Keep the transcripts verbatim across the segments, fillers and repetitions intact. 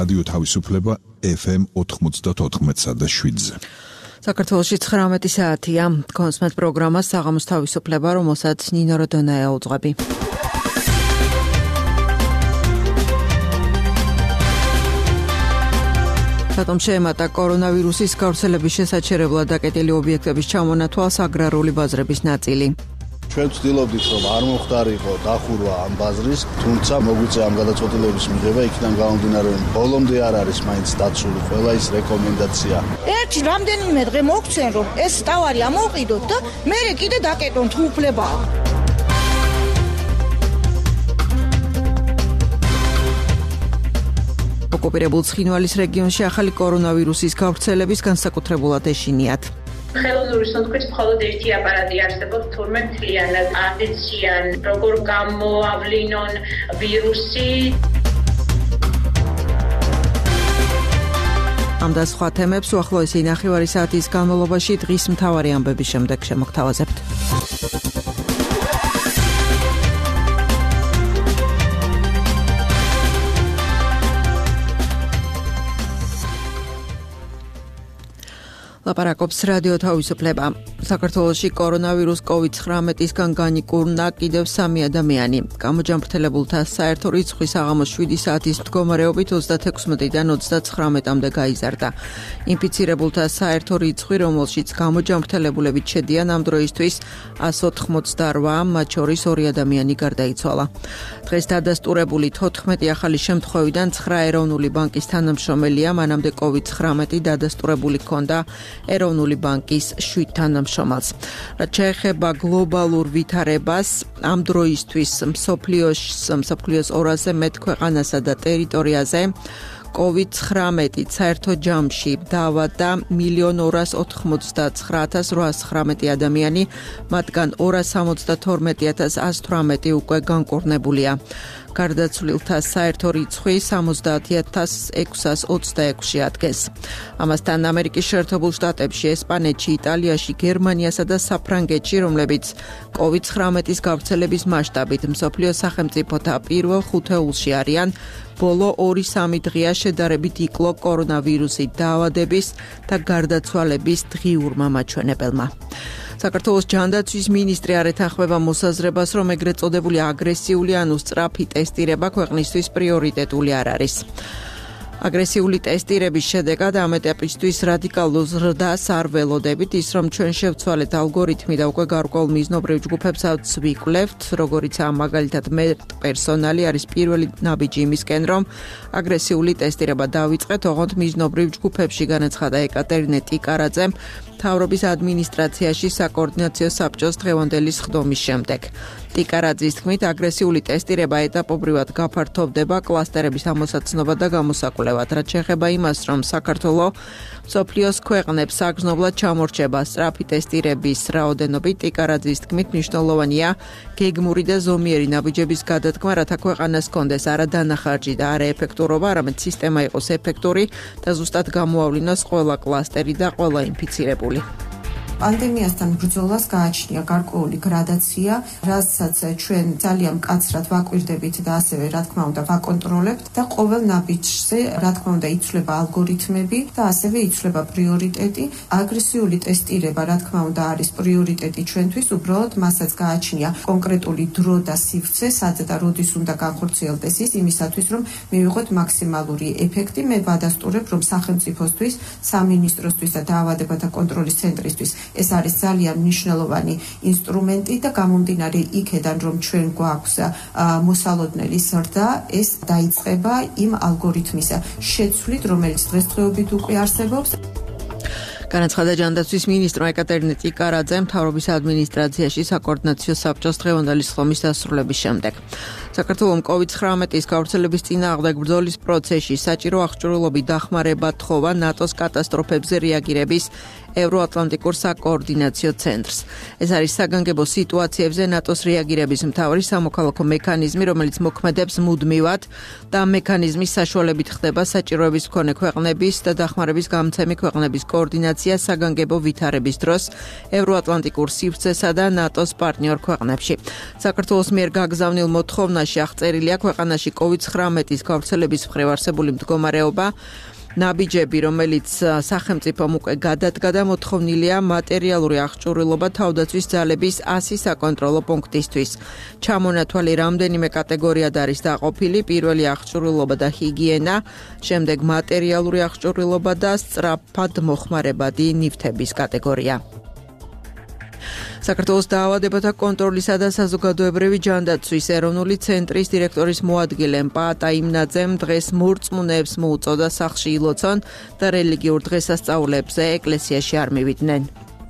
რადიო თავისუფლება ეფ ემ ოთხმოცდაოთხ და შვიდზე. საქართველოში ცხრამეტი საათია. კონსმეთ პროგრამა საღამოს თავისუფლება, რომელსაც ნინო როდონაია უძღვები. რატომ შეემატა კორონავირუსის გავრცელების შესაჩერებლად დაკეტილი ობიექტების ჩამონათვალს აგრარული ბაზრების ნაწილი. ჩვენ ვცდილობდით, რომ არ მომხდარიყო დახურვა ამ ბაზრის, თუმცა მოგვიწია ამ გადაწყვეტილების მიღება, იქიდან გამომდინარე, რომ ბოლომდე არ არის მაინც დაცული ყველა ის რეკომენდაცია. ერთი რამდენიმე დღე მოგცენ, რომ ეს ტავარი ამოვყიდოთ და მერე კიდე დაკეტოთ უფლება. ოკუპირებულ ცხინვალის რეგიონში ახალი კორონავირუსის გავრცელების განსაკუთრებულად ეშინიათ. ხელოვნური სუნთქვით მხოლოდ ერთი აპარატი არსებობს, თურმე მთლიანად აღიციან, როგორ გამოავლინონ ვირუსი. ამ და სხვა თემებს უახლოესი ნახევარი საათის განმავლობაში დღის მთავარი ამბების შემდეგ შემოგთავაზებთ. ლაპარაკობს რადიო თავისუფლება. საქართველოში კორონავირუს კოვიდ ცხრამეტისგან განიკურნა კიდევ სამი ადამიანი. გამოჯამრთელებულთა საერთო რიცხვი საღამოს შვიდი საათის მდგომარეობით ოცდათექვსმეტიდან ოცდაცხრამეტამდე გაიზარდა. ინფიცირებულთა საერთო რიცხვი, რომელშიც გამოჯამრთელებულებით შედიან ამ დროისთვის ას ოთხმოცდარვა, მათ შორის ორი ადამიანი გარდაიცვალა. დღეს დადასტურებული თოთხმეტი ახალი შემთხვევიდან ცხრა ეროვნული ბანკის თანამშრომელია, მანამდე კოვიდ ცხრამეტი დადასტურებული ჰქონდა ეროვნული ბანკის შვიდ თანამშრომელს. რაც შეეხება გლობალურ ვითარებას, ამ დროისთვის მსოფლიოს მსოფლიოს ორასზე მეტ ქვეყანასა და ტერიტორიაზე კოვიდ ცხრამეტი საერთო ჯამში დაავადდა მილიონ ორას ოთხმოცდაცხრა ათას რვაას ცხრამეტი ადამიანი, მათგან ორას სამოცდათორმეტი ათას ას თვრამეტი უკვე განკურნებულია. გარდაცვლილთა საერთო რიცხვი სამოცდაათი ათას ექვსას ოცდაექვსში ადგეს. ამასთან ამერიკის შეერთებულ შტატებში, ესპანეთში, იტალიაში, გერმანიასა და საფრანგეთში, რომლებიც კოვიდ ცხრამეტის გავრცელების მასშტაბით მსოფლიოს სახელმწიფოთა პირველ ხუთეულში არიან, ბოლო ორი სამი დღეა შედარებით იკლო კორონავირუსით დაავადების და გარდაცვალების დღიურმა მაჩვენებელმა. საქართველოს ჯანდაცვის მინისტრი არ ეთანხმება მოსაზრებას, რომ ეგრეთ წოდებული აგრესიული ანუ სწრაფი ტესტირება ქვეყნისთვის პრიორიტეტული არ არის. აგრესიული ტესტირების შედეგად ამ ეტაპისთვის რადიკალურ ზრდას არ ველოდებით, ის რომ ჩვენ შევცვალეთ ალგორითმი და უკვე გარკვეულ მიზნობრივ ჯგუფებსაც ვიკვლევთ, როგორიცაა მაგალითად პერსონალი არის პირველი ნაბიჯი იმისკენ, რომ აგრესიული ტესტირება დავიწყეთ, ოღონდ მიზნობრივ ჯგუფებში, განაცხადა ეკატერინე ტიკარაძემ მთავრობის ადმინისტრაციაში საკოორდინაციო საბჭოს დღევანდელი სხდომის შემდეგ. ტიკარაძის თქმით, აგრესიული ტესტირება ეტაპობრივად გაფართოვდება კლასტერების ამოსაცნობა და გამოსაკვლევად, რაც შეეხება იმას, რომ საქართველოს მსოფლიოს ქვეყნებს საგრძნობლად ჩამორჩება სწრაფი ტესტირების რაოდენობით, ტიკარაძის თქმით, მნიშვნელოვანია გეგმური და ზომიერი ნაბიჯების გადადგმა, რათა ქვეყანას ჰქონდეს არა დანახარჯი და არა ეფექტურობა, არამედ სისტემა იყოს ეფექტური და ზუსტად გამოავლინოს ყველა კლასტერი და ყველა ინფიცირებული. პანდემიასთან ბრძოლას გააჩნია გარკვეული გრადაცია, რასაც ჩვენ ძალიან მკაცრად ვაკვირდებით და ასევე რა თქმა უნდა ვაკონტროლებთ და ყოველ ნაბიჯზე რა თქმა უნდა იცვლება ალგორითმები და ასევე იცვლება პრიორიტეტი. აგრესიული ტესტირება რა თქმა უნდა არის პრიორიტეტი ჩვენთვის, უბრალოდ მასაც გააჩნია კონკრეტული დრო და სივრცე, სადაც და როდის უნდა განხორციელდეს ის იმისათვის, რომ მივიღოთ მაქსიმალური ეფექტი. მე ვადასტურებ, რომ სახელმწიფოსთვის, სამინისტროსთვის და დაავადებათა კონტროლის ცენტრისთვის ეს არის ძალიან მნიშვნელოვანი ინსტრუმენტი და გამომდინარე იქედან, რომ ჩვენ გვაქვს მოსალოდნელი ზრდა, ეს დაიწყება იმ ალგორითმის შეცვლით, რომელიც დღესდღეობით უკვე არსებობს. განაცხადა ჯანდაცვის მინისტრმა ეკატერინე ტიკარაძემ მთავრობის ადმინისტრაციაში საკოორდინაციო საბჭოს დღევანდელი სხდომის დასრულების შემდეგ. საქართველოს კოვიდ ცხრამეტის გავრცელების წინააღმდეგ ბრძოლის პროცესში საჭირო აღჭურვილობით დახმარება თხოვა ნატოს კატასტროფებზე რეაგირების ევროატლანტიკურ საკოორდინაციო ცენტრს. ეს არის საგანგებო სიტუაციებზე ნატოს რეაგირების მთავარი სამოქალაქო მექანიზმი, რომელიც მოქმედებს მუდმივად და მექანიზმის საშუალებით ხდება საჭიროების მქონე ქვეყნების და დახმარების გამცემი ქვეყნების კოორდინაცია საგანგებო ვითარების დროს ევროატლანტიკურ სივრცესა და ნატოს პარტნიორ ქვეყნებში. საქართველოს მიერ გაგზავნილ მოთხოვნაში აღწერილია ქვეყანაში კოვიდ ცხრამეტის გავრცელების მხრივ არსებული მდგომარეობა, ნაბიჯები, რომელიც სახელმწიფომ უკვე გადადგა და მოთხოვნილია მატერიალური აღჭურვილობა თავდაცვის ძალების ასი საკონტროლო პუნქტისთვის. ჩამონათვალი რამდენიმე კატეგორიად არის დაყოფილი: პირველი აღჭურვილობა და ჰიგიენა, შემდეგ მატერიალური აღჭურვილობა და სწრაფად მოხმარებადი ნივთების კატეგორია. საქართველოს დაავადებათა კონტროლისა და საზოგადოებრივი ჯანდაცვის ეროვნული ცენტრის დირექტორის მოადგილე პაატა იმნაძემ დღეს მორწმუნეებს მოუწოდა სახლში ილოცონ და რელიგიურ დღესასწაულებზე ეკლესიაში არ მივიდნენ.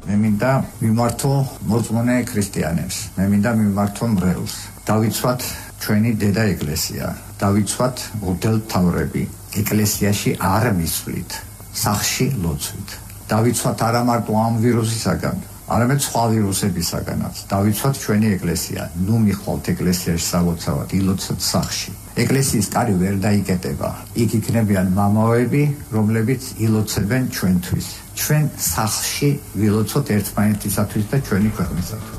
მე მინდა მიმართო მორწმუნე ქრისტიანებს, მე მინდა მიმართო მრევლს. დავიცვათ ჩვენი დედა ეკლესია, დავიცვათ მღვდელმთავრები, ეკლესიაში არ მისვლით, სახლში ლოცვით. დავიცვათ არა მარტო ამ ვირუსისაგან, არამედ სხვა ვირუსებისაგანაც. დავიცვათ ჩვენი ეკლესია, ნუ მიხვალთ ეკლესიაში სალოცავად, ილოცოთ სახლში. ეკლესიის კარი ვერ დაიკეტება. იქ იქნებიან მამაოები, რომლებიც ილოცებენ ჩვენთვის. ჩვენ სახლში ვილოცოთ ერთმანეთისათვის და ჩვენი ქვეყნისათვის.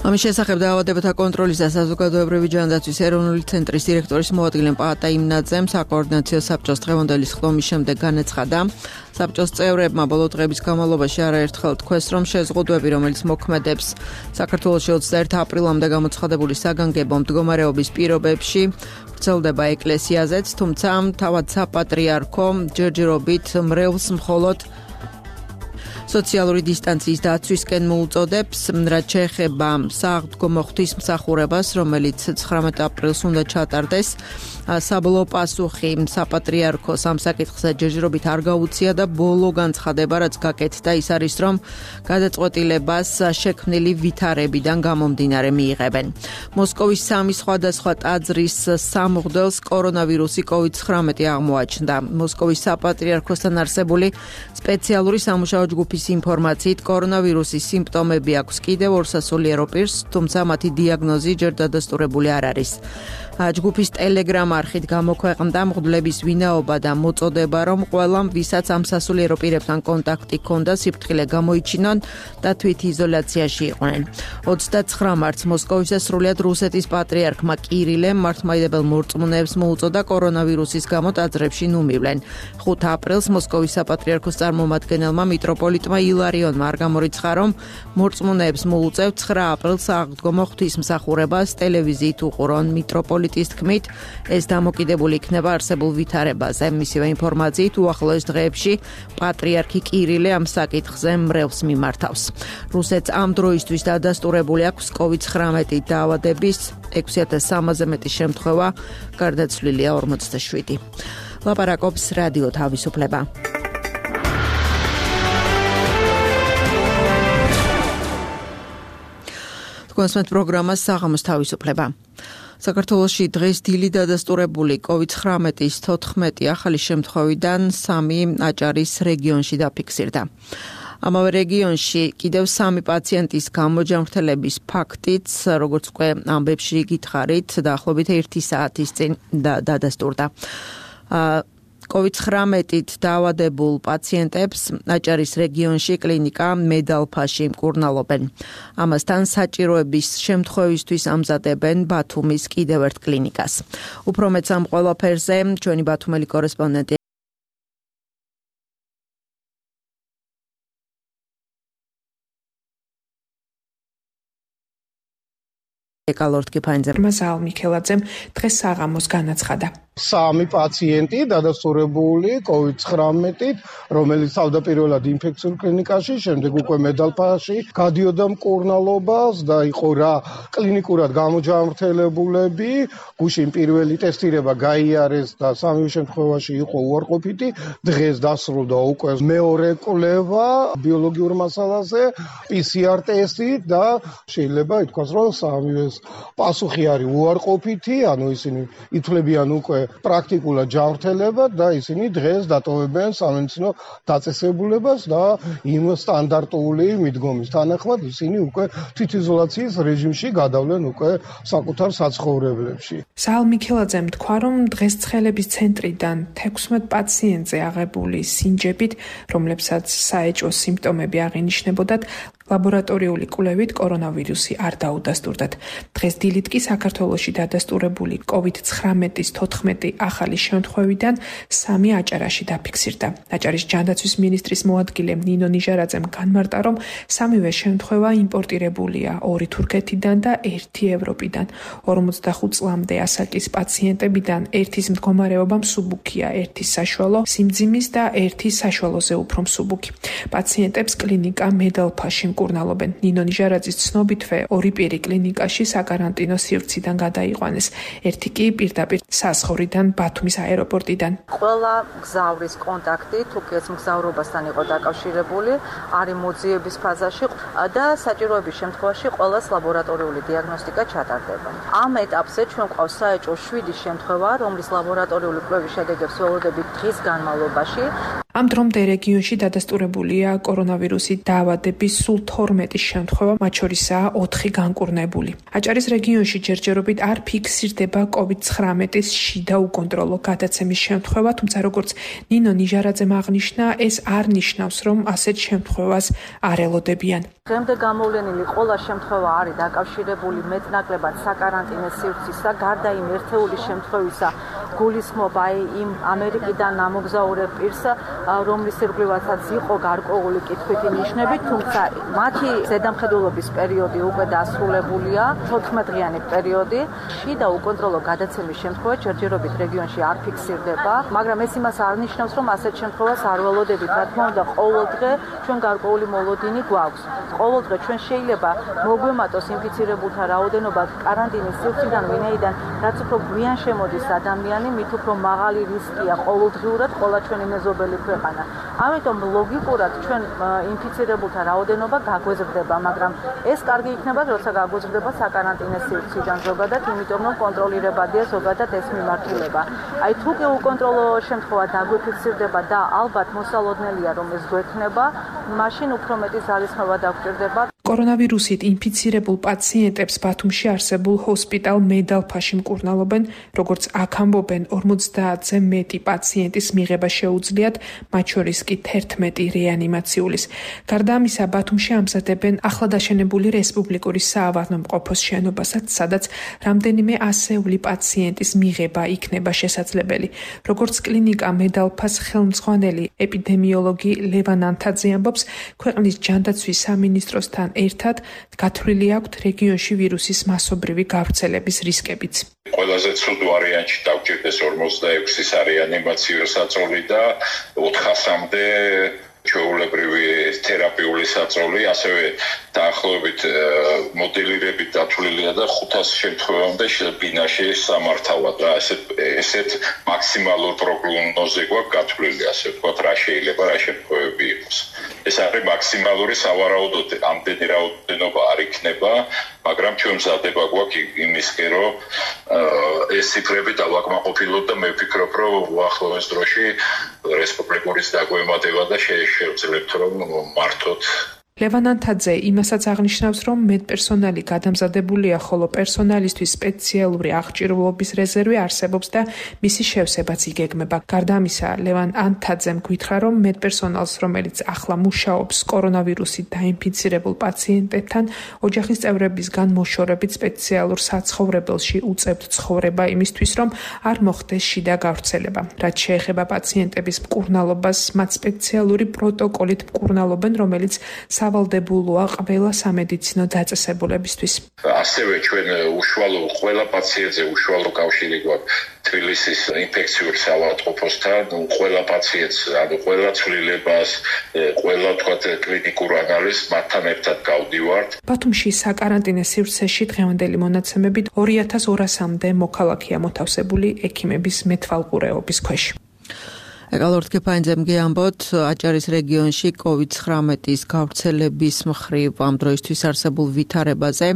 ამის შესახებ დაავადებათა კონტროლის და საზოგადოებრივი ჯანდაცვის ეროვნული ცენტრის დირექტორის მოადგილე პაატა იმნაძემ საკოორდინაციო საბჭოს დღევანდელი ხდომის შემდეგ განაცხადა, საბჭოს წევრებმა ბოლო დღების განმავლობაში არაერთხელ თქვეს, რომ შეზღუდვები, რომელიც მოქმედებს საქართველოში ოცდაერთი აპრილამდე გამოცხადებული საგანგებო მდგომარეობის პირობებში, ვრცელდება ეკლესიაზეც, თუმცა თავად საპატრიარქო ჯერჯერობით მრევლს მხოლოდ სოციალური დისტანციის დაცვისკენ მოუწოდებს, რაც შეეხება საღდგომო ღვთისმსახურებას, რომელიც ცხრამეტ აპრილს უნდა ჩატარდეს. საბოლოო პასუხი საპატრიარქოს ამ საკითხზე ჯერჯერობით არ გაუწია და ბოლო განცხადება, რაც გაკეთდა, ის არის, რომ გადაწყვეტილებას შექმნილი ვითარებიდან გამომდინარე მიიღებენ. მოსკოვის სამი სხვადასხვა ტაძრის სამღვდელს კორონავირუსი კოვიდ ცხრამეტი აღმოაჩნდა. მოსკოვის საპატრიარქოსთან არსებული სპეციალური სამუშაო ჯგუფის ინფორმაციით, კორონავირუსის სიმპტომები აქვს კიდევ ორსასულიერო პირს, თუმცა მათი დიაგნოზი ჯერ დადასტურებული არ არის. ჯგუფის ტელეგრამ არხით გამოქვეყნდა მღვდლების ვინაობა და მოწოდება, რომ ყველამ, ვისაც ამ სასულიერო პირებთან კონტაქტი ჰქონდა, სიფრთხილე გამოიჩინონ და თვითიზოლაციაში იყვნენ. ოცდაცხრა მარტს მოსკოვის და სრულიად რუსეთის პატრიარქმა კირილემ მართლმადიდებელ მორწმუნეებს მოუწოდა კორონავირუსის გამო ტაძრებში ნუ მივლენ. ხუთ აპრილს მოსკოვის საპატრიარქოს წარმომადგენელმა მიტროპოლიტმა ილარიონმა არ გამორიცხა, რომ მორწმუნეებს მოუწევთ ცხრა აპრილს აღდგომო ღვთისმსახურებას ტელევიზიით უყურონ. მიტროპოლიტის თქმით, ეს დამოკიდებული იქნება არსებულ ვითარებაზე. მისივე ინფორმაციით, უახლოეს დღეებში პატრიარქი კირილე ამ საკითხზე მრევლს მიმართავს. რუსეთს ამ დროისთვის დადასტურებული აქვს კოვიდ ცხრამეტი დაავადების ექვსი ათას სამზე მეტი შემთხვევა, გარდაცვლილია ორმოცდაშვიდი. ლაპარაკობს რადიო თავისუფლება. კონსმეთ პროგრამას საღამოს თავისუფლება. საქართველოში დღეს დილით დადასტურებული კოვიდ ცხრამეტის თოთხმეტი ახალი შემთხვევიდან სამი აჭარის რეგიონში დაფიქსირდა. ამავე რეგიონში კიდევ სამი პაციენტის გამოჯანმრთელების ფაქტიც, როგორც უკვე ამბებში გითხარით, დაახლოებით ერთი საათის წინ დადასტურდა. კოვიდ ცხრამეტით დაავადებულ პაციენტებს აჭარის რეგიონში კლინიკა მედალფაში მკურნალობენ. ამასთან საჭიროების შემთხვევისთვის ამზადებენ ბათუმის კიდევ ერთ კლინიკას. უფრო მეც ამ ყველაფერზე ჩვენი ბათუმელი კორესპონდენტი ეკალორდ კიფაინძე მასალ მიქელაძემ დღეს საღამოს განაცხადა. სამი პაციენტი დადასტურებული კოვიდ ცხრამეტით, რომელიც თავდაპირველად ინფექციურ კლინიკაში, შემდეგ უკვე მედალფაში გადიოდა მკურნალობას და იყო რა კლინიკურად გამოჯანმრთელებულები. გუშინ პირველი ტესტირება გაიარეს და სამივე შემთხვევაში იყო უარყოფითი. დღეს დასრულდა უკვე მეორე კვლევა ბიოლოგიურ მასალაზე, პი სი არ ტესტით და შეიძლება ითქვას, რომ სამივეს პასუხი არის უარყოფითი, ანუ ისინი ითვლებიან უკვე პრაქტიკულად ჯანმრთელება და ისინი დღეს დატოვებენ სამედიცინო დაწესებულებას და იმ სტანდარტული მიდგომის თანახმად ისინი უკვე თვითიზოლაციის რეჟიმში გადავლენ უკვე საკუთარ საცხოვრებლებში. საალ მიქელაძემ თქვა, რომ დღესწყლების ცენტრიდან თექვსმეტ პაციენტზე აღებული სინჯებით, რომლებსაც საეჭვო სიმპტომები აღინიშნებოდათ, ლაბორატორიული კვლევით კორონავირუსი არ დაუდასტურდათ. დღეს დილით კი საქართველოში დადასტურებული კოვიდ ცხრამეტის თოთხმეტი ახალი შემთხვევიდან სამი აჭარაში დაფიქსირდა. აჭარის ჯანდაცვის მინისტრის მოადგილე ნინო ნიჟარაძემ განმარტა, რომ სამივე შემთხვევა იმპორტირებულია ორი თურქეთიდან და ერთი ევროპიდან. ორმოცდახუთ წლამდე ასაკის პაციენტებიდან ერთის მდგომარეობა მსუბუქია, ერთის საშუალო სიმძიმის და ერთის საშუალოზე უფრო მსუბუქი. პაციენტებს კლინიკა მედალფაში მკურნალობენ. ნინო ნიჟარაძის ცნობითვე ორი პირი კლინიკაში საკარანტინო სივრციდან გადაიყვანეს. ერთი კი პირდაპირ საზღვრიდან ბათუმის აეროპორტიდან. ყველა მგზავრის კონტაქტი თურქეთის მგზავრობასთან იყო დაკავშირებული, არის მოძიების ფაზაში და საჭიროების შემთხვევაში ყველას ლაბორატორიული დიაგნოსტიკა ჩატარდება. ამ ეტაპზე ჩვენ გვყავს საეჭვო შვიდი შემთხვევა, რომლის ლაბორატორიული კვლევის შედეგებს ველოდებით დღის განმავლობაში. ამ დრომდე რეგიონში დადასტურებულია კორონავირუსით დაავადების სულ თორმეტი შემთხვევა, მათ შორისაა ოთხი განკურნებული. აჭარის რეგიონში ჯერჯერობით არ ფიქსირდება კოვიდ ცხრამეტის შიდა უკონტროლო გადაცემის შემთხვევა, თუმცა როგორც ნინო ნიჟარაძემ აღნიშნა, ეს არ ნიშნავს, რომ ასეთ შემთხვევას არ ელოდებიან. დღემდე გამოვლენილი ყველა შემთხვევა არის დაკავშირებული მეტნაკლებად საკარანტინო სივრცისა, გარდა იმ ერთეული შემთხვევისა გულისხმობა იმ ამერიკიდან ამოგზაურებ პირს, რომლის ირგვლივაცაც იყო გარკვეული კითხვითი ნიშნები, თუმცა მათი ზედამხედველობის პერიოდი უკვე დასრულებულია, თოთხმეტდღიანი პერიოდი. შიდა უკონტროლო გადაცემის შემთხვევა ჯერჯერობით რეგიონში არ ფიქსირდება, მაგრამ ეს იმას არ ნიშნავს, რომ ასეთ შემთხვევას არ ველოდებით. რა თქმა უნდა, ყოველ დღე ჩვენ გარკვეული მოლოდინი გვაქვს. ყოველ დღე ჩვენ შეიძლება მოგვემატოს ინფიცირებულთა რაოდენობა კარანტინის სივრციდან, ვინაიდან რაც უფრო გვიან შემოდის ადამიანი, მით უფრო მაღალი რისკია ყოველდღიურად ყველა ჩვენი მეზობელი ქვეყანა. ამიტომ ლოგიკურად ჩვენ ინფიცირებულთა რაოდენობა გაგვეზრდება, მაგრამ ეს კარგი იქნება, როცა გაგვეზრდება საკარანტინო სივრციდან ზოგადად, იმიტომ რომ კონტროლირებადია ზოგადად ეს მიმართულება. აი თუ კი უკონტროლო შემთხვევა დაგვიფიქსირდება და ალბათ მოსალოდნელია რომ ეს გვექნება, მაშინ უფრო მეტი ზალისხმევა დაგვჭირდება. კორონავირუსით ინფიცირებულ პაციენტებს ბათუმში არსებულ ჰოსპიტალ მედალფაში მკურნალობენ, როგორც აქ ამბობენ, ორმოცდაათზე მეტი პაციენტის მიღება შეუძლიათ, მათ შორის კი თერთმეტი რეანიმაციულის. გარდა ამისა, ბათუმში ამზადებენ ახლადაშენებული რესპუბლიკური საავადმყოფოს შენობასაც, სადაც რამდენიმე ასეული პაციენტის მიღება იქნება შესაძლებელი. როგორც კლინიკა მედალფას ხელმძღვანელი ეპიდემიოლოგი ლევან ანთაძე ამბობს, ქვეყნის ჯანდაცვის სამინისტროსთან ერთად გათვლილი აქვთ რეგიონში ვირუსის მასობრივი გავრცელების რისკებიც. ყველაზე ცუდ ვარიანტში დავჭირდეს ორმოცდაექვსის რეანიმაციო საწოლი და ოთხასამდე ჩვეულებრივი თერაპიული საწოლი, ასევე დაახლოებით მოდელირებით დათვლილია და ხუთას შემთხვევამდე ბინაში სამართავად და ესეთ ესეთ მაქსიმალურ პროგნოზზე გვაქვს გათვლილი, ასე ვთქვათ, რა შეიძლება რა შემთხვევები იყოს. ეს არის მაქსიმალური, სავარაუდოდ ამდენი რაოდენობა არ იქნება, მაგრამ ჩვენ მზადება გვაქვს იმისკენ, რომ ეს ციფრები დავაკმაყოფილოთ და მე ვფიქრობ, რომ უახლოეს დროში რესპუბლიკური დაგვემატება და შევძლებთ რომ მართოთ. ლევან ანთაძე იმასაც აღნიშნავს, რომ მედპერსონალი გადამზადებულია, ხოლო პერსონალისთვის სპეციალური აღჭურვილობის რეზერვი არსებობს და მისი შევსებაც იგეგმება. გარდა ამისა, ლევან ანთაძემ გითხრა, რომ მედპერსონალს, რომელიც ახლა მუშაობს კორონავირუსით დაინფიცირებულ პაციენტებთან, ოჯახის წევრებისგან მოშორებით სპეციალურ საცხოვრებელში უწევთ ცხოვრება იმისთვის, რომ არ მოხდეს შიდა გავრცელება. რაც შეეხება პაციენტების მკურნალობას, მათ სპეციალური პროტოკოლით მკურნალობენ, რომელიც სავალდებულოა ყველა სამედიცინო დაწესებულებისთვის. ასევე ჩვენ უშუალო ყველა პაციენტზე უშუალო კავშირი გვაქვს თბილისის ინფექციური საავადმყოფოსთან, ყველა პაციენტს, ანუ ყველა ცვლილებას, ყველა თქვათ კლინიკურ ანალიზს მათთან ერთად გავდივართ. ბათუმში საკარანტინო სივრცეში დღევანდელი მონაცემებით ორი ათას ორასამდე მოქალაქეა მოთავსებული ექიმების მეთვალყურეობის ქვეშ. ეკალორთ კეფაინძემ გიამბოთ, აჭარის რეგიონში კოვიდ ცხრამეტის გავრცელების მხრივ ამ დროისთვის არსებულ ვითარებაზე.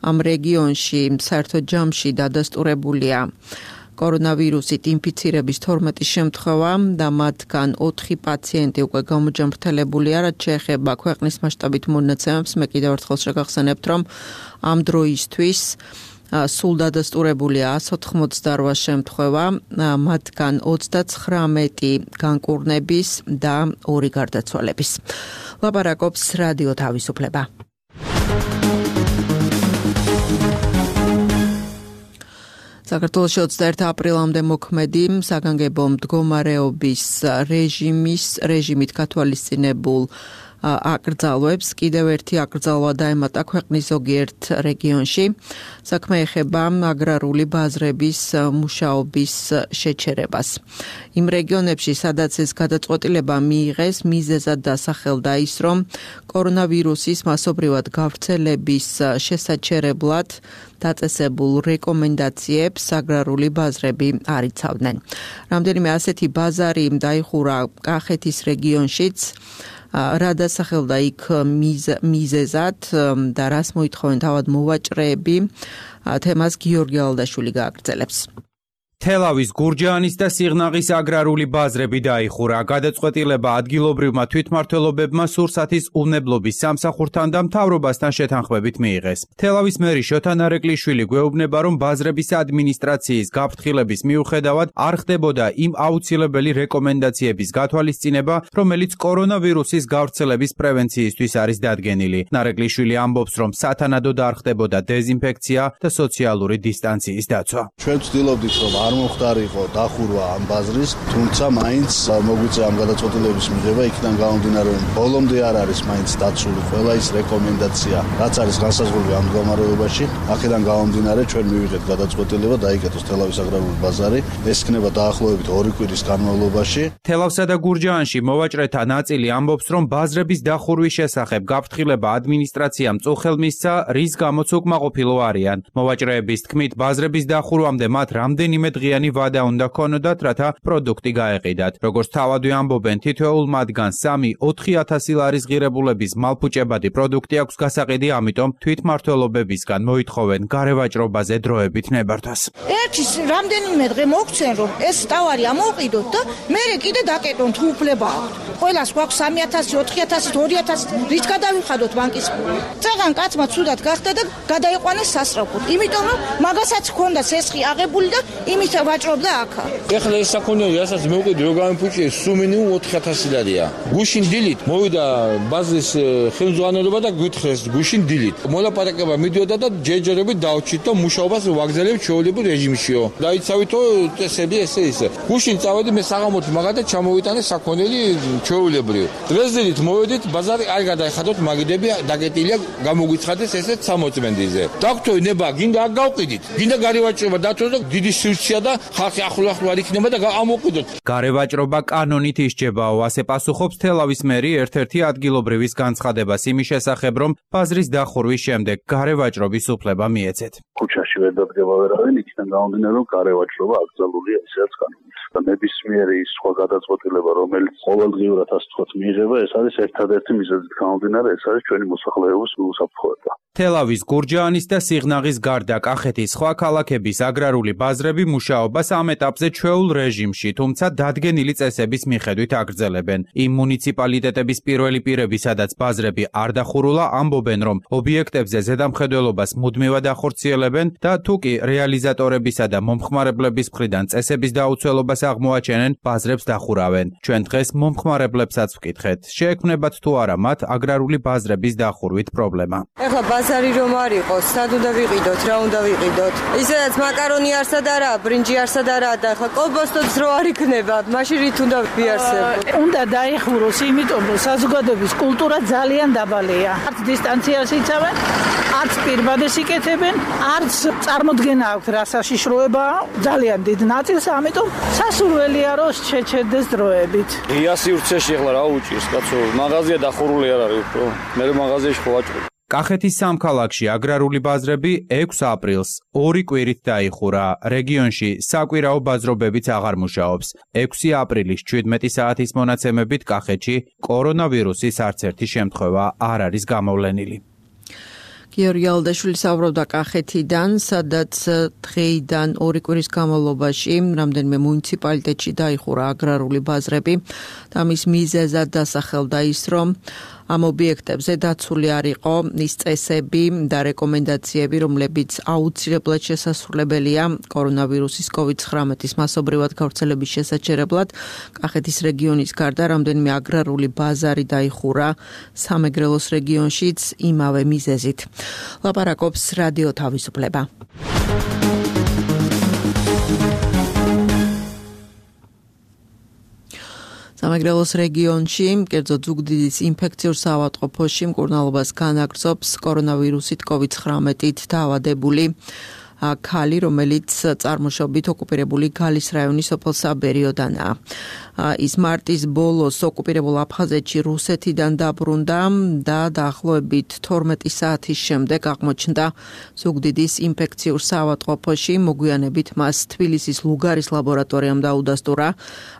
ამ რეგიონში საერთო ჯამში დადასტურებულია კორონავირუსით ინფიცირების თორმეტი შემთხვევა და მათგან ოთხი პაციენტი უკვე გამოჯანმრთელებულია, რაც შეეხება ქვეყნის მასშტაბით მონაცემებს. მე კიდევ ერთხელ შეგახსენებთ, რომ ამ დროისთვის სულ დადასტურებულია εκατს ოთხმოცდაოთხ შემთხვევა, მათგან ოცდაცხრამეტი განკურნების და ორი გარდაცვალების. ლაპარაკობს რადიო თავისუფლება. საქართველოში ოცდაერთი აპრილამდე მოქმედი საგანგებო მდგომარეობის რეჟიმის რეჟიმით გათვალისწინებულ აკრძალვებს კიდევ ერთი აკრძალვა დაემატა ქვეყნის ზოგიერთ რეგიონში. საქმე ეხება აგრარული ბაზრების მუშაობის შეჩერებას. იმ რეგიონებში, სადაც ეს გადაწყვეტილება მიიღეს, მიზეზად დასახელდა ის, რომ კორონავირუსის მასობრივად გავრცელების შესაჩერებლად დაწესებულ რეკომენდაციებს აგრარული ბაზრები არ იცავდნენ. რამდენიმე ასეთი ბაზარი დაიხურა კახეთის რეგიონშიც, რა დასახელდა იქ მიზეზად და რას მოითხოვენ თავად მოვაჭრეები, თემას გიორგი ალდაშვილი გააგრძელებს. თელავის, გურჯაანის და სიღნაღის აგრარული ბაზრები დაიხურა. გადაწყვეტილება ადგილობრივმა თვითმმართველობებმა სურსათის უნებლობის სამსახურთან და მთავრობასთან შეთანხმებით მიიღეს. თელავის მერი შოთა ნარეკვლიშვილი გვეუბნება, რომ ბაზრების ადმინისტრაციის გაფრთხილების მიუხედავად არ ხდებოდა იმ აუცილებელი რეკომენდაციების გათვალისწინება, რომელიც კორონავირუსის გავრცელების პრევენციისთვის არის დადგენილი. ნარეკვლიშვილი ამბობს, რომ სათანადოდ არ ხდებოდა დეზინფექცია და სოციალური დისტანციის დაცვა. ჩვენ ვცდილობდით, რომ არ მომხდარიყო დახურვა ამ ბაზრის, თუმცა მაინც მოგვიწია ამ გადაწყვეტილების მიღება, იქიდან გამომდინარე, რომ ბოლომდე არ არის მაინც დაცული ყველა ის რეკომენდაცია, რაც არის განსაზღვრული ამ მდგომარეობაში. აქედან გამომდინარე, ჩვენ მივიღეთ გადაწყვეტილება დაიკეტოს თელავის აგრარული ბაზარი. ეს იქნება დაახლოებით ორი კვირის განმავლობაში. თელავსა და გურჯაანში მოვაჭრეთა ნაწილი ამბობს, რომ ბაზრების დახურვის შესახებ გაფრთხილება ადმინისტრაციამ წუხელ მისცა, რის გამოც უკმაყოფილო არიან. მოვაჭრეების თქმით, ბაზრების დახურვამდე მათ რამდენიმე დღიანი ვადა უნდა ქონოდათ, რათა პროდუქტი გაეყიდათ. როგორც თავადვე ამბობენ, თითოეულ მათგან სამი ოთხი ათასი ლარის ღირებულების მალფუჭებადი პროდუქტი აქვს გასაყიდი, ამიტომ თვითმმართველობებისგან მოითხოვენ გარევაჭრობაზე დროებით ნებართვას. ერთის რამდენიმე დღე მოგცენ, რომ ეს ტავარი ამოვყიდოთ და მე კიდე დაკეტონ თუ უფლება აქვთ. ყველას გვაქვს სამი ათასი, ოთხი ათასი, ორი ათასი, რით გადავიხადოთ ბანკის ფული. წაღან კაცმა ცუდად გახდა და გადაიყვანეს სასწრაფოდ. იმიტომ რომ მაგასაც ჰქონდა სესხი აღებული და იმით ვაჭრობდა აქა. ეხლა ეს საქონელი, რასაც მოვყიდე, რო გამიფუჭიე, სულ მინიმუმ ოთხი ათასი ლარია. გუშინ დილით მოვიდა ბაზრის ხელმძღვანელობა და გვითხრეს გუშინ დილით. მოლაპარაკება მიდიოდა და ჯერჯერობით დავჭით და მუშაობას ვაგზავნებ ჩვეულებრივ რეჟიმშიო. დაიცავითო წესები ესე ისე. გუშინ წავედი მე საღამოთი მაგათა ჩამოვიტანე საქონელი ჩვეულებრივ. დღესდღეობით მოვედით ბაზარი არ გადაიხადოთ, მაგიდები დაკეტილია, გამოგვიცხადეს ესეც სამოწმენდიზე. დაგვთო ნება, გინდა არ გავყიდით. გინდა გარევაჭრობა დათოს და დიდი სივრცეა და ხალხი ახლო-ახლო არ იქნება და ამოვყიდოთ. გარევაჭრობა კანონით ისჯებაო, ასე პასუხობს თელავის მერი ერთ-ერთი ადგილობრივის განცხადებას იმის შესახებ, რომ ბაზრის დახურვის შემდეგ გარევაჭრობის უფლება მიეცეთ. ქუჩაში ვერ დადგება ვერავინ, იქიდან გამომდინარე, რომ გარევაჭრობა აკრძალულია ისედაც კანონით. და ნებისმიერი ის სხვა გადაწყვეტილება, რომელიც ყოველდღიურად ასე ვთქვათ მიიღება, ეს არის ერთადერთი მიზეზით გამომდინარე, ეს არის ჩვენი მოსახლეობის უსაფრთხოება. თელავის, გურჯაანის და სიღნაღის გარდა კახეთის სხვა ქალაქების აგრარული ბაზრები მუშაობას ამ ეტაპზე ჩვეულ რეჟიმში, თუმცა დადგენილი წესების მიხედვით აგრძელებენ. იმ მუნიციპალიტეტების პირველი პირები, სადაც ბაზრები არ დახურულა, ამბობენ, რომ ობიექტებზე ზედამხედველობას მუდმივად ახორციელებენ და თუ კი რეალიზატორებისა და მომხმარებლების მხრიდან წესების დაუცველობას აღმოაჩენენ, ბაზრებს დახურავენ. ჩვენ დღეს მომხმარებლებსაც ვკითხეთ, შეექმნებათ თუ არა მათ აგრარული ბაზრების დახურვით პრობლემა. ეხლა ბაზარი რომ არ იყოს, სად უნდა ვიყიდოთ, რა უნდა ვიყიდოთ? ისედაც მაკარონი არსად არა, ბრინჯი არსად არა და ეხლა კოლბასტოც რო არ იქნება, მაშინ რით უნდა ვიარსებოთ? უნდა დაიხუროს, იმიტომ რომ საზოგადოების კულტურა ძალიან დაბალია. არც დისტანციას იცავენ, არც პირბადეს იკეთებენ, არც წარმოდგენა აქვთ რა საშიშროებაა, ძალიან დიდ ნაწილს, ამიტომ სასურველია რომ შეჩერდეს დროებით. ღია სივრცეში ეხლა რა უჭირს, კაცო, მაღაზია დახურული არ არის უფრო. მე მაღაზიაში ხო ვაჭრობ. კახეთის სამქალაქში აგრარული ბაზრები ექვსი აპრილს ორი კვირით დაიხურა. რეგიონში საკვირაო ბაზრობებიც აღარ მუშაობს. ექვსი აპრილის ჩვიდმეტი საათის მონაცემებით კახეთში კორონავირუსის არც ერთი შემთხვევა არ არის გამოვლენილი. გიორგი ალდაშვილი საუბრობდა კახეთიდან, სადაც დღეიდან ორი კვირის განმავლობაში რამდენიმე მუნიციპალიტეტში დაიხურა აგრარული ბაზრები და მის მიზეზად დასახელდა ის, რომ ამ ობიექტებზე დაცული არ იყო ის წესები და რეკომენდაციები, რომლებიც აუცილებლად შესასრულებელია კორონავირუსის კოვიდ ცხრამეტის მასობრივად გავრცელების შესაჩერებლად. კახეთის რეგიონის გარდა რამდენიმე აგრარული ბაზარი დაიხურა სამეგრელოს რეგიონშიც იმავე მიზეზით. ლაპარაკობს რადიო თავისუფლება. სამეგრელოს რეგიონში, კერძოდ ზუგდიდის ინფექციურ საავადმყოფოში მკურნალობას განაგრძობს კორონავირუსით კოვიდ ცხრამეტით დაავადებული ქალი, რომელიც წარმოშობით ოკუპირებული გალის რაიონის სოფელ საბერიოდანაა. ის მარტის ბოლოს ოკუპირებულ აფხაზეთში რუსეთიდან დაბრუნდა და დაახლოებით თორმეტი საათის შემდეგ აღმოჩნდა ზუგდიდის ინფექციურ საავადმყოფოში. მოგვიანებით მას თბილისის ლუგარის ლაბორატორიამ დაუდასტურა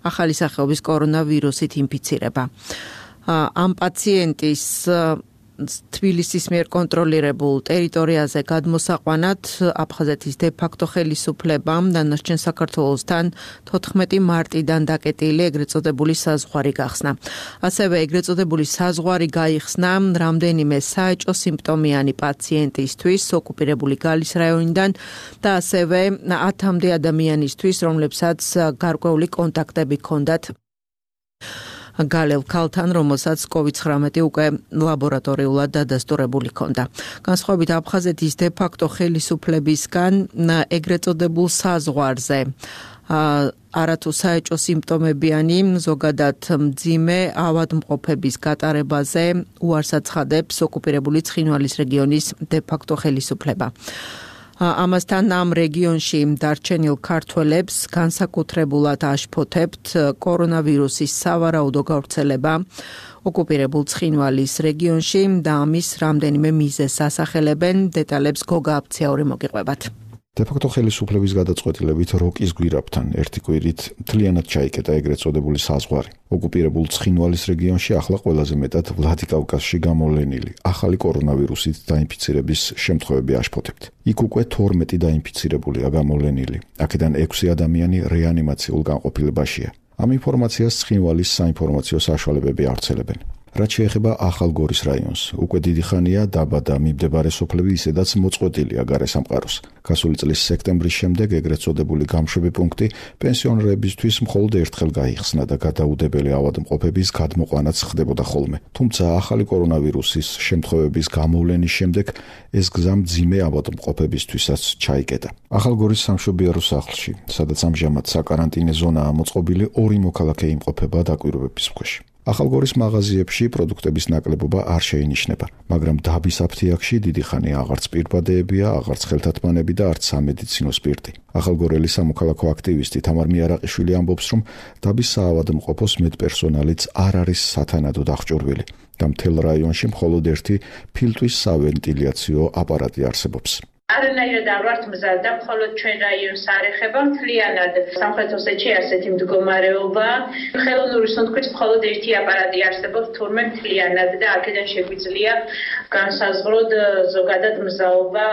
ახალი სახეობის კორონავირუსით ინფიცირება. ამ პაციენტის თბილისის მიერ კონტროლირებულ ტერიტორიაზე გადმოსაყვანად აფხაზეთის დე-ფაქტო ხელისუფლებამ დანარჩენ საქართველოსთან თოთხმეტი მარტიდან დაკეტილი ეგრეთ წოდებული საზღვარი გახსნა. ასევე ეგრეთ წოდებული საზღვარი გაიხსნა რამდენიმე საეჭო სიმპტომიანი პაციენტისთვის ოკუპირებული გალის რაიონიდან და ასევე ათამდე ადამიანისთვის, რომლებსაც გარკვეული კონტაქტები ჰქონდათ გალელ ქალთან, რომელსაც კოვიდ ცხრამეტი უკვე ლაბორატორიულად დადასტურებული ჰქონდა. განსხვავებით აფხაზეთის დე-ფაქტო ხელისუფლებისგან ეგრეთ წოდებულ საზღვარზე არათუ საეჭო სიმპტომებიანი ზოგადად მძიმე ავადმყოფების გატარებაზე უარს აცხადებს ოკუპირებული ცხინვალის რეგიონის დე-ფაქტო ხელისუფლება. ამასთან ამ რეგიონში დარჩენილ ქართველებს განსაკუთრებულად აშფოთებთ კორონავირუსის სავარაუდო გავრცელება ოკუპირებულ ცხინვალის რეგიონში და ამის რამდენიმე მიზეზს ასახელებენ. დეტალებს გოგა აფციაური მოგიყვებათ. დე-ფაქტო ხელისუფლების გადაწყვეტილებით როკის გვირაბთან ერთი კვირით მთლიანად ჩაიკეტა ეგრეთ წოდებული საზღვარი. ოკუპირებულ ცხინვალის რეგიონში ახლა ყველაზე მეტად ვლადიკავკაზში გამოვლენილი ახალი კორონავირუსით დაინფიცირების შემთხვევები აშფოთებთ. იქ უკვე თორმეტი დაინფიცირებულია გამოვლენილი. აქედან ექვსი ადამიანი რეანიმაციულ განყოფილებაშია. ამ ინფორმაციას ცხინვალის საინფორმაციო საშუალებები ავრცელებენ. რაც შეეხება ახალგორის რაიონს, უკვე დიდი ხანია დაბა და მიმდებარე სოფლები ისედაც მოწყვეტილია გარესამყაროს. გასული წლის სექტემბრის შემდეგ ეგრეთ წოდებული გამშვები პუნქტი პენსიონერებისთვის მხოლოდ ერთხელ გაიხსნა და გადაუდებელი ავადმყოფების გადმოყვანაც ხდებოდა ხოლმე. თუმცა ახალი კორონავირუსის შემთხვევების გამოვლენის შემდეგ ეს გზა მძიმე ავადმყოფებისთვისაც ჩაიკეტა. ახალგორის სამშვიდობო სახლში, სადაც ამჟამად საკარანტინე ზონაა მოწყობილი, ორი მოქალაქე იმყოფება დაკვირვების ქვეშ. ახალგორის მაღაზიებში პროდუქტების ნაკლებობა არ შეინიშნება, მაგრამ დაბის აფთიაქში დიდი ხანია აღარც პირბადეებია, აღარც ხელთათმანები და არც სამედიცინო სპირტი. ახალგორელი სამოქალაქო აქტივისტი თამარ მიარაყიშვილი ამბობს, რომ დაბის საავადმყოფოს მედპერსონალიც არ არის სათანადოდ აღჭურვილი და მთელ რაიონში მხოლოდ ერთი ფილტვის სავენტილიაციო აპარატი არსებობს. არანაირად არ ვართ მზად და მხოლოდ ჩვენ რაიონს არ ეხება მთლიანად სამხრეთ ოსეთში ასეთი მდგომარეობა. ხელოვნური სუნთქვით მხოლოდ ერთი აპარატი არსებობს თურმე მთლიანად და აქედან შეგვიძლია განსაზღვროთ ზოგადად მზაობა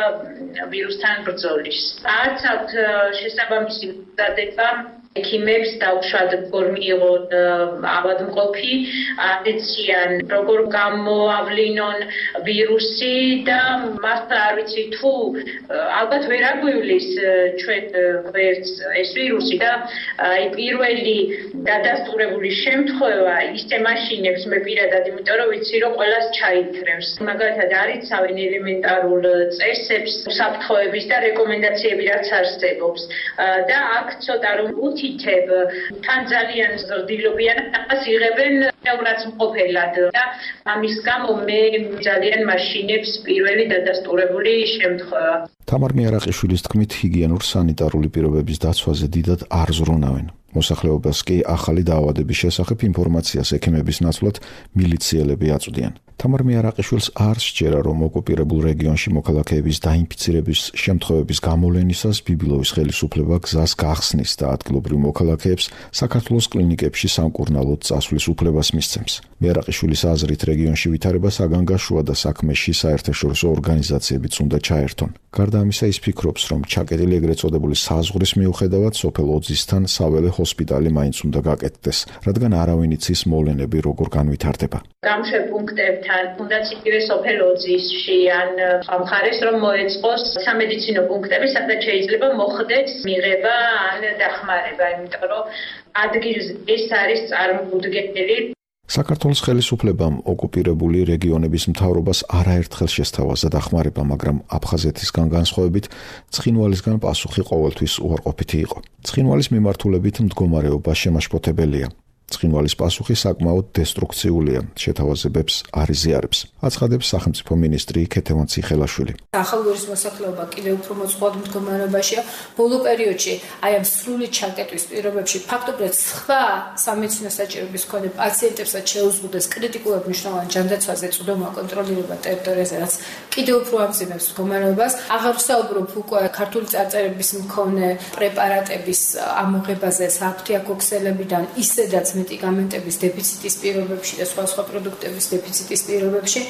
ვირუსთან ბრძოლის. არც აქვთ შესაბამისი მზადება ექიმებს დაუშვათ როგორ მიიღონ ავადმყოფი, აციან როგორ გამოავლინონ ვირუსი და მას არ ვიცი თუ ალბათ ვერ აგვივლის ჩვენ გვერდს ეს ვირუსი და აი პირველი დადასტურებული შემთხვევა ისე მაშინებს მე პირადად, იმიტომ რომ ვიცი რომ ყველას ჩაიქრევს. მაგალითად არიცავენ ელემენტარულ წესებს, საფრთხეების და რეკომენდაციები რაც არსებობს და აქ ცოტა რომ უთითებ თან ძალიან ზრდილობიან ამას იღებენ რაც მყოფელად და ამის გამო მე ძალიან მაშინებს პირველი დადასტურებული შემთხვევა. თამარ მიარაყიშვილის თქმით, ჰიგიენურ სანიტარული პირობების დაცვაზე დიდად არ ზრუნავენ. მოსახლეობას კი ახალი დაავადების შესახებ ინფორმაციას ექიმების ნაცვლად მილიციელები აწვდიან. თამარ მიარაყიშვილს არ სჯერა, რომ ოკუპირებულ რეგიონში მოქალაქეების დაინფიცირების შემთხვევების გამოვლენისას ბიბილოვის ხელისუფლება გზას გახსნის და ადგილობრივ მოქალაქეებს საქართველოს კლინიკებში სამკურნალოდ წასვლის უფლებას მისცემს. მიარაყიშვილის აზრით, რეგიონში ვითარება საგანგაშოა და საქმეში საერთაშორისო ორგანიზაციებიც უნდა ჩაერთონ. გარდა ამისა, ის ფიქრობს, რომ ჩაკეტილი ეგრეთ წოდებული საზღვრის მიუხედავად სოფელ ოძისთან საველე ჰოსპიტალი მაინც უნდა გაკეთდეს, რადგან არავინ იცის მოვლენები როგორ განვითარდება. გამშვებ პუნქტებთან, თუნდაც იგივე სოფელ ოძისში ან მხარეს რომ მოეწყოს სამედიცინო პუნქტები, სადაც შეიძლება მოხდეს მიღება ან დახმარება, იმიტომ რომ ადგილს ეს არის წარმოუდგენელი. საქართველოს ხელისუფლებამ ოკუპირებული რეგიონების მთავრობას არაერთხელ შესთავაზა დახმარება, მაგრამ აფხაზეთისგან განსხვავებით ცხინვალისგან პასუხი ყოველთვის უარყოფითი იყო. ცხინვალის მიმართულებით მდგომარეობა შემაშფოთებელია. ცხინვალის პასუხი საკმაოდ დესტრუქციულია, შეთავაზებებს არ იზიარებს. აცხადებს სახელმწიფო მინისტრი ქეთევან ციხელაშვილი. ახალგორის მოსახლეობა კიდევ უფრო მოწყვლად მდგომარეობაშია. ბოლო პერიოდში აი ამ სრული ჩაკეტვის პირობებში ფაქტობრივად სხვა სამედიცინო საჭიროების მქონე პაციენტებსაც შეუზღუდეს კრიტიკულად მნიშვნელოვან ჯანდაცვაზე წვდომა კონტროლირება ტერიტორიაზე, რაც კიდევ უფრო ამძიმებს მდგომარეობას. აღარ ვსაუბრობ უკვე ქართული წარწერების მქონე პრეპარატების ამოღებაზე საფთიაქოქსელებიდან ისედაც მედიკამენტების დეფიციტის პირობებში და სხვა სხვა პროდუქტების დეფიციტის პირობებში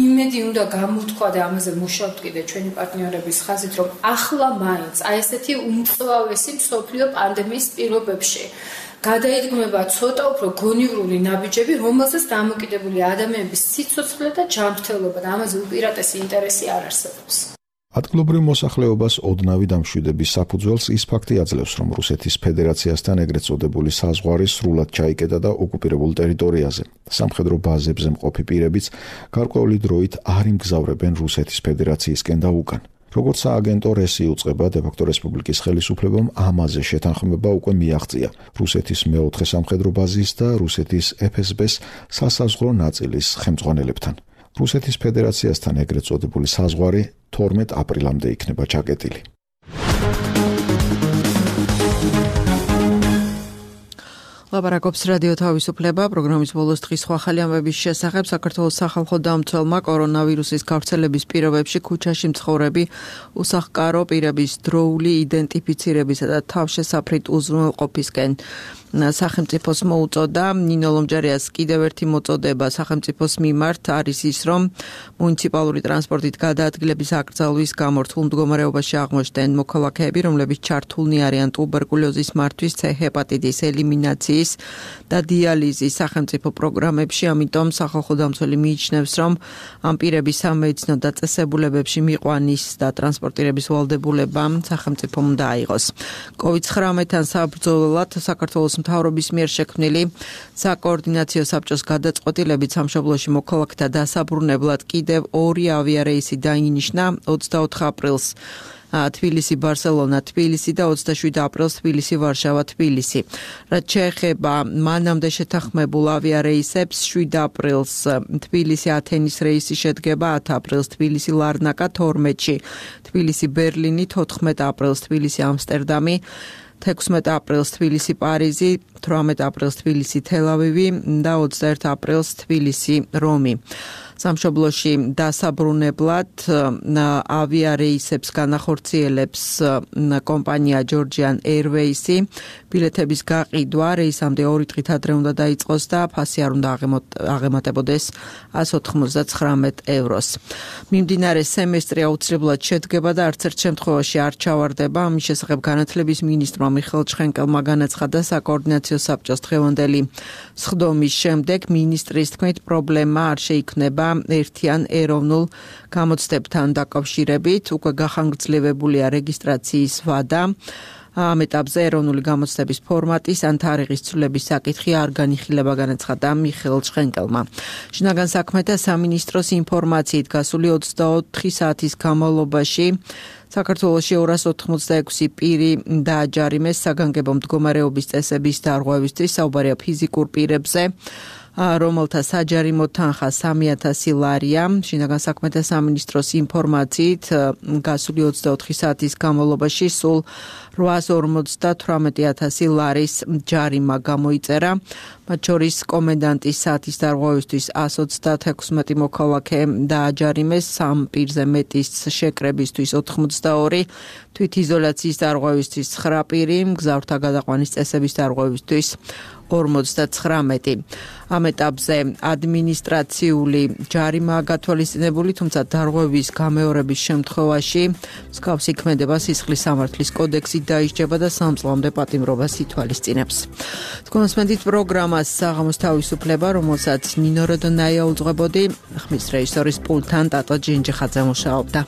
იმედი უნდა გამოთქვა და ამაზე მუშაობთ კიდე ჩვენი პარტნიორების ხაზით, რომ ახლა მაინც აი ესეთი უმწვავესი მსოფლიო პანდემიის პირობებში გადაიდგმება ცოტა უფრო გონივრული ნაბიჯები, რომელზეც დამოკიდებული ადამიანების სიცოცხლე და ჯანმრთელობა და ამაზე უპირატესი ინტერესი არ არსებობს. ადგილობრივ მოსახლეობას ოდნავი დამშვიდების საფუძველს ის ფაქტი აძლევს, რომ რუსეთის ფედერაციასთან ეგრეთ წოდებული საზღვარი სრულად ჩაიკეტა და ოკუპირებულ ტერიტორიაზე. სამხედრო ბაზებზე მყოფი პირებიც გარკვეული დროით არ იმგზავრებენ რუსეთის ფედერაციისკენ და უკან. როგორც სააგენტო რესი უწყება, დე-ფაქტო რესპუბლიკის ხელისუფლებამ ამაზე შეთანხმება უკვე მიაღწია რუსეთის მეოთხე სამხედრო ბაზის და რუსეთის ეფ ეს ბეს სასაზღვრო ნაწილის ხელმძღვანელებთან. რუსეთის ფედერაციასთან ეგრეთ წოდებული საზღვარი თორმეტ აპრილამდე იქნება ჩაკეტილი. ლაპარაკობს რადიო თავისუფლება, პროგრამის ბოლოს დღის სხვა ხალი ამბების შესახებ. საქართველოს სახალხო დამცველმა კორონავირუსის გავრცელების პირობებში ქუჩაში მცხოვრები უსახლკარო პირების დროული იდენტიფიცირებისა და თავშესაფრით უზრუნველყოფისკენ სახელმწიფოს მოუწოდა. ნინო ლომჯარიას კიდევ ერთი მოწოდება სახელმწიფოს მიმართ არის ის, რომ მუნიციპალური ტრანსპორტით გადაადგილების აკრძალვის გამო რთულ მდგომარეობაში აღმოჩნდნენ მოქალაქეები, რომლებიც ჩართულნი არიან ტუბერკულოზის მართვის, ცე ჰეპატიტის ელიმინაციის და დიალიზის სახელმწიფო პროგრამებში. ამიტომ სახალხო დამცველი მიიჩნევს, რომ ამ პირების სამედიცინო დაწესებულებებში მიყვანის და ტრანსპორტირების ვალდებულება სახელმწიფომ უნდა აიღოს. კოვიდ ცხრამეტთან საბრძოლველად საქართველოს მთავრობის მიერ შექმნილი საკოორდინაციო საბჭოს გადაწყვეტილებით სამშობლოში მოქალაქეთა დასაბრუნებლად კიდევ ორი ავიარეისი დაინიშნა ოცდაოთხ აპრილს თბილისი ბარსელონა თბილისი და ოცდაშვიდ აპრილს თბილისი ვარშავა თბილისი. რაც შეეხება მანამდე შეთანხმებულ ავიარეისებს, შვიდ აპრილს თბილისი ათენის რეისი შედგება, ათ აპრილს თბილისი ლარნაკა, თორმეტში თბილისი ბერლინი, თოთხმეტ აპრილს თბილისი ამსტერდამი, თექვსმეტ აპრილს თბილისი პარიზი, თვრამეტ აპრილს თბილისი თელ-ავივი და ოცდაერთ აპრილს თბილისი რომი. სამშობლოში დასაბრუნებლად ავიარეისებს განახორციელებს კომპანია Georgian Airways-ი. ბილეთების გაყიდვა რეისამდე ორი დღით ადრე უნდა დაიწყოს და ფასი არ უნდა აღემატებოდეს ასი ოცდათხმეტ ევროს. მიმდინარე სემესტრი აუცილებლად შედგება და არც ერთ შემთხვევაში არ ჩავარდება. ამის შესახებ განათლების მინისტრმა მიხეილ ჩხენკელმა განაცხადა საკოორდინაციო საბჭოს დღევანდელი სხდომის შემდეგ. მინისტრის თქმით, პრობლემა არ შეიქმნება ერთიან ეროვნულ გამოცდებთან დაკავშირებით. უკვე გახანგრძლივებულია რეგისტრაციის ვადა. ამ ეტაპზე ეროვნული გამოცდების ფორმატის ან თარიღის ცვლილების საკითხი არ განიხილება, განაცხადა მიხეილ ჩხენკელმა. შინაგან საქმეთა სამინისტროს ინფორმაციით გასული ოცდაოთხი საათის განმავლობაში საქართველოში ორას ოთხმოცდაექვსი პირი დააჯარიმეს საგანგებო მდგომარეობის წესების დარღვევისთვის. საუბარია ფიზიკურ პირებზე. რომელთა საჯარიმო თანხა სამი ათასი ლარია. შინაგან საქმეთა სამინისტროს ინფორმაციით, გასული ოცდაოთხი საათის განმავლობაში სულ რვაას ორმოცდათვრამეტი ათასი ლარის ჯარიმა გამოიწერა. მათ შორის კომენდანტის საათის დარღვევისთვის ას ოცდათექვსმეტი მოქალაქე დააჯარიმეს, სამ პირზე მეტის შეკრებისთვის ოთხმოცდაორი, თვითიზოლაციის დარღვევისთვის ცხრა პირი, მგზავრთა გადაყვანის წესების დარღვევისთვის ორმოცდაცხრამეტი. ამ ეტაპზე ადმინისტრაციული ჯარიმაა გათვალისწინებული, თუმცა დარღვევის გამეორების შემთხვევაში მსგავსი ქმედება სისხლის სამართლის კოდექსით დაისჯება და სამ წლამდე პატიმრობას ითვალისწინებს. თქვენსმენთ პროგრამას საღამოს თავისუფლება, რომელსაც ნინო როდონაია უძღვებოდი, ხმის რეჟისორის პულტთან ტატო ჯინჯიხაძე მუშაობდა.